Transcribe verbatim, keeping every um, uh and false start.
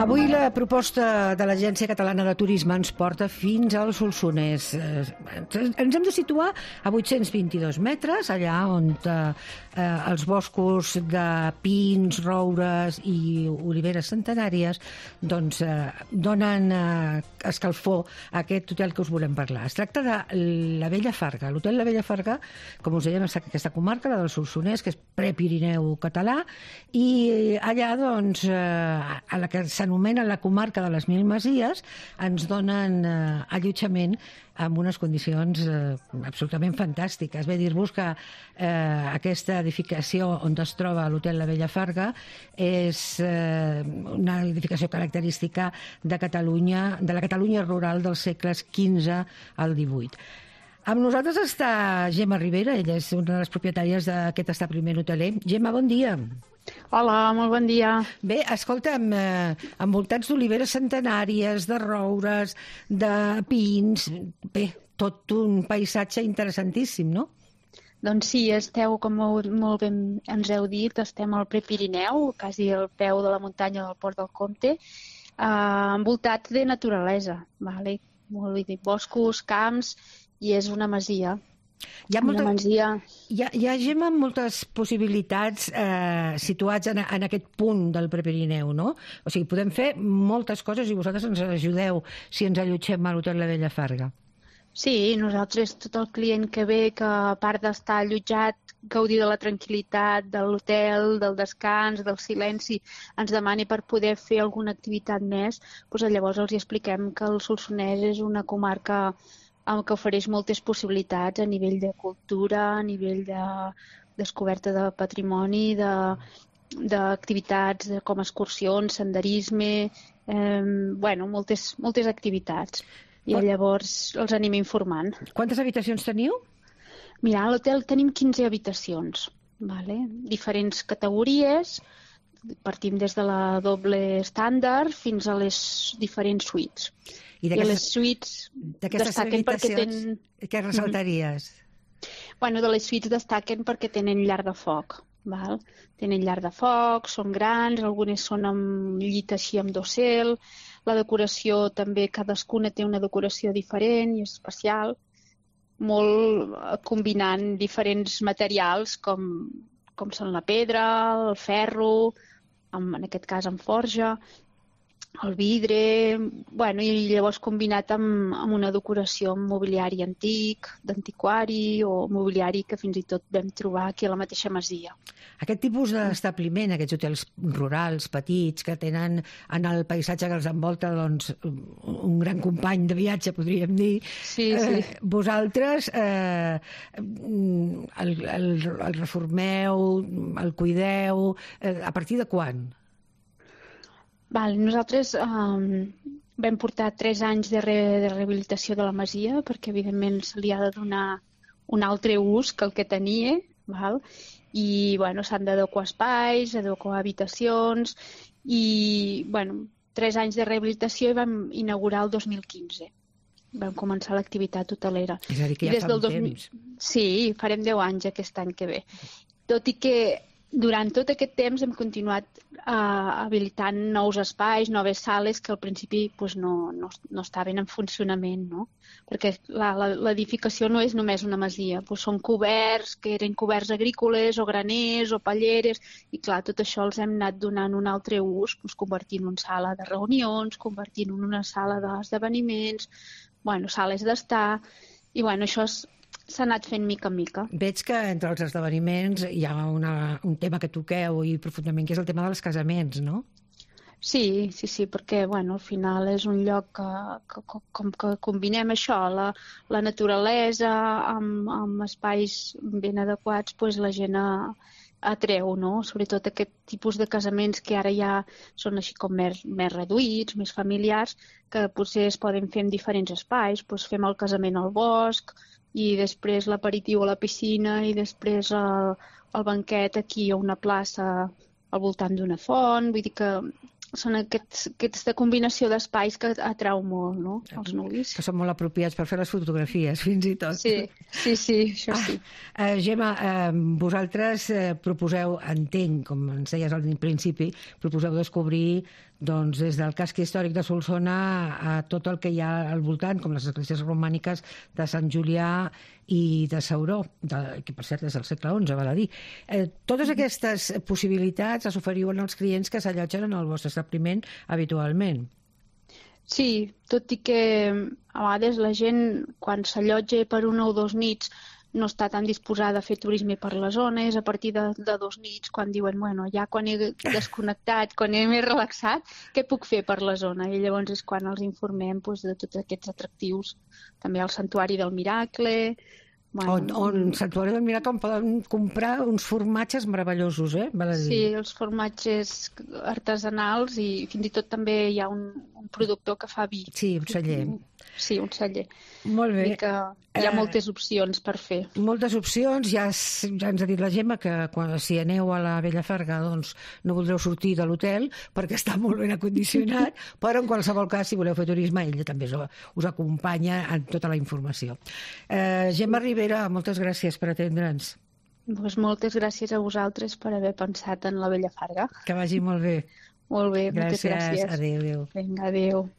Avui la proposta de l'Agència Catalana de Turisme ens porta fins al Solsonès. Ens hem de situar a vuit-cents vint-i-dos metres, allà on eh, els boscos de pins, roures i oliveres centenàries doncs, eh, donen eh, escalfor a aquest hotel que us volem parlar. Es tracta de la Vella Farga. L'hotel La Vella Farga, com us dèiem, és aquesta comarca, la del Solsonès, que és prepirineu català, i allà, doncs, eh, a la que s'anomena la comarca de les Mil Masies, ens donen eh, allotjament amb unes condicions eh, absolutament fantàstiques. Ve dir-vos que eh, aquesta edificació on es troba l'hotel La Vella Farga és eh, una edificació característica de Catalunya, de la Catalunya rural dels segles quinze al divuit. Amb nosaltres està Gemma Ribera, ella és una de les propietàries d'aquest establiment hoteler. Gemma, bon dia. Hola, molt bon dia. Bé, escolta'm, eh, envoltats d'oliveres centenàries, de roures, de pins, bé, tot un paisatge interessantíssim, no? Doncs sí, esteu, com molt ben ens heu dit, estem al Prepirineu, quasi al peu de la muntanya del Port del Comte, eh, envoltats de naturalesa, vale? Molt bé, boscos, camps, i és una masia. Hi ha, molta, una masia... hi ha, hi ha Gemma, moltes possibilitats eh, situats en, en aquest punt del Prepirineu, no? O sigui, podem fer moltes coses i vosaltres ens ajudeu si ens allotgem a l'hotel La Vella Farga. Sí, nosaltres, tot el client que ve, que a part d'estar allotjat, gaudir de la tranquil·litat, de l'hotel, del descans, del silenci, ens demani per poder fer alguna activitat més, doncs llavors els expliquem que el Solsonès és una comarca que ofereix moltes possibilitats a nivell de cultura, a nivell de descoberta de patrimoni, d'activitats de, com excursions, senderisme, eh, bueno, moltes, moltes activitats. I llavors els anem informant. Quantes habitacions teniu? Mira, a l'hotel tenim quinze habitacions, vale? Diferents categories, partim des de la doble estàndard fins a les diferents suites. I, I les suites destaquen perquè tenen... Què ressaltaries? Mm-hmm. Bueno, de les suites destaquen perquè tenen llar de foc. Val? Tenen llar de foc, són grans, algunes són amb llit així amb dosel. La decoració també, cadascuna té una decoració diferent i especial, molt combinant diferents materials com, com són la pedra, el ferro, amb, en aquest cas amb forja, el vidre, bueno, i llavors combinat amb, amb una decoració amb mobiliari antic, d'antiquari o mobiliari que fins i tot vam trobar aquí a la mateixa masia. Aquest tipus d'establiment, aquests hotels rurals, petits, que tenen en el paisatge que els envolta doncs, un gran company de viatge, podríem dir, sí, sí. Eh, vosaltres eh, el, el, el reformeu, el cuideu, eh, a partir de quan? Val, nosaltres um, vam portar tres anys de, re, de rehabilitació de la masia perquè, evidentment, se li ha de donar un altre ús que el que tenia, val? I bueno, s'han d'adequar espais, adequar habitacions i bueno, tres anys de rehabilitació i vam inaugurar el dos mil quinze. Vam començar l'activitat hotelera. És a dir, que ja fa un dos mil... temps. Sí, farem deu anys aquest any que ve. Tot i que durant tot aquest temps hem continuat uh, habilitant nous espais, noves sales que al principi pues, no, no, no estaven en funcionament, no? Perquè l'edificació no és només una masia, pues, són coberts, que eren coberts agrícoles o graners o palleres, i clar, tot això els hem anat donant un altre ús, pues, convertint en sala de reunions, convertint en una sala d'esdeveniments, bueno, sales d'estar, i bueno, això és s'ha anat fent mica en mica. Veig que entre els esdeveniments hi ha una, un tema que toqueu i profundament, que és el tema dels casaments, no? Sí, sí, sí, perquè bueno, al final és un lloc que, que, com que combinem això, la, la naturalesa amb, amb espais ben adequats, doncs la gent a, atreu, no? Sobretot aquest tipus de casaments que ara ja són així com més, més reduïts, més familiars, que potser es poden fer en diferents espais, doncs fem el casament al bosc, i després l'aperitiu a la piscina i després el, el banquet aquí a una plaça al voltant d'una font. Vull dir que són aquests, aquesta combinació d'espais que atrau molt, no?, els nuvis. Que són molt apropiats per fer les fotografies, fins i tot. Sí, sí, sí, això sí. Ah, eh, Gemma, eh, vosaltres eh, proposeu, entenc, com ens deies al principi, proposeu descobrir doncs, des del casc històric de Solsona a tot el que hi ha al voltant, com les esglésies romàniques de Sant Julià i de Sauró, de, que per cert és del segle onze, val a dir. Eh, totes aquestes possibilitats les oferiuen als clients que s'allotgen en el vostre establiment habitualment. Sí, tot i que a vegades la gent, quan s'allotja per una o dos nits, no està tan disposada a fer turisme per la zona, és a partir de, de dos nits quan diuen, bueno, ja quan he desconnectat, quan he més relaxat, què puc fer per la zona? I llavors és quan els informem doncs, de tots aquests atractius. També el Santuari del Miracle. Bueno, on, on Santuari del Miracle on poden comprar uns formatges meravellosos, eh? Val a dir. Sí, els formatges artesanals i fins i tot també hi ha un, un productor que fa vi. Sí, un celler. Sí, un celler. Molt bé. I que hi ha moltes opcions per fer. Moltes opcions. Ja, ja ens ha dit la Gemma que quan, si aneu a la Vella Farga doncs no voldreu sortir de l'hotel perquè està molt ben acondicionat, però en qualsevol cas, si voleu fer turisme, ella també us acompanya en tota la informació. Eh, Gemma Ribera, moltes gràcies per atendre'ns. Doncs moltes gràcies a vosaltres per haver pensat en la Vella Farga. Que vagi molt bé. Molt bé, gràcies. moltes gràcies. Adéu, adéu. Vinga, adéu.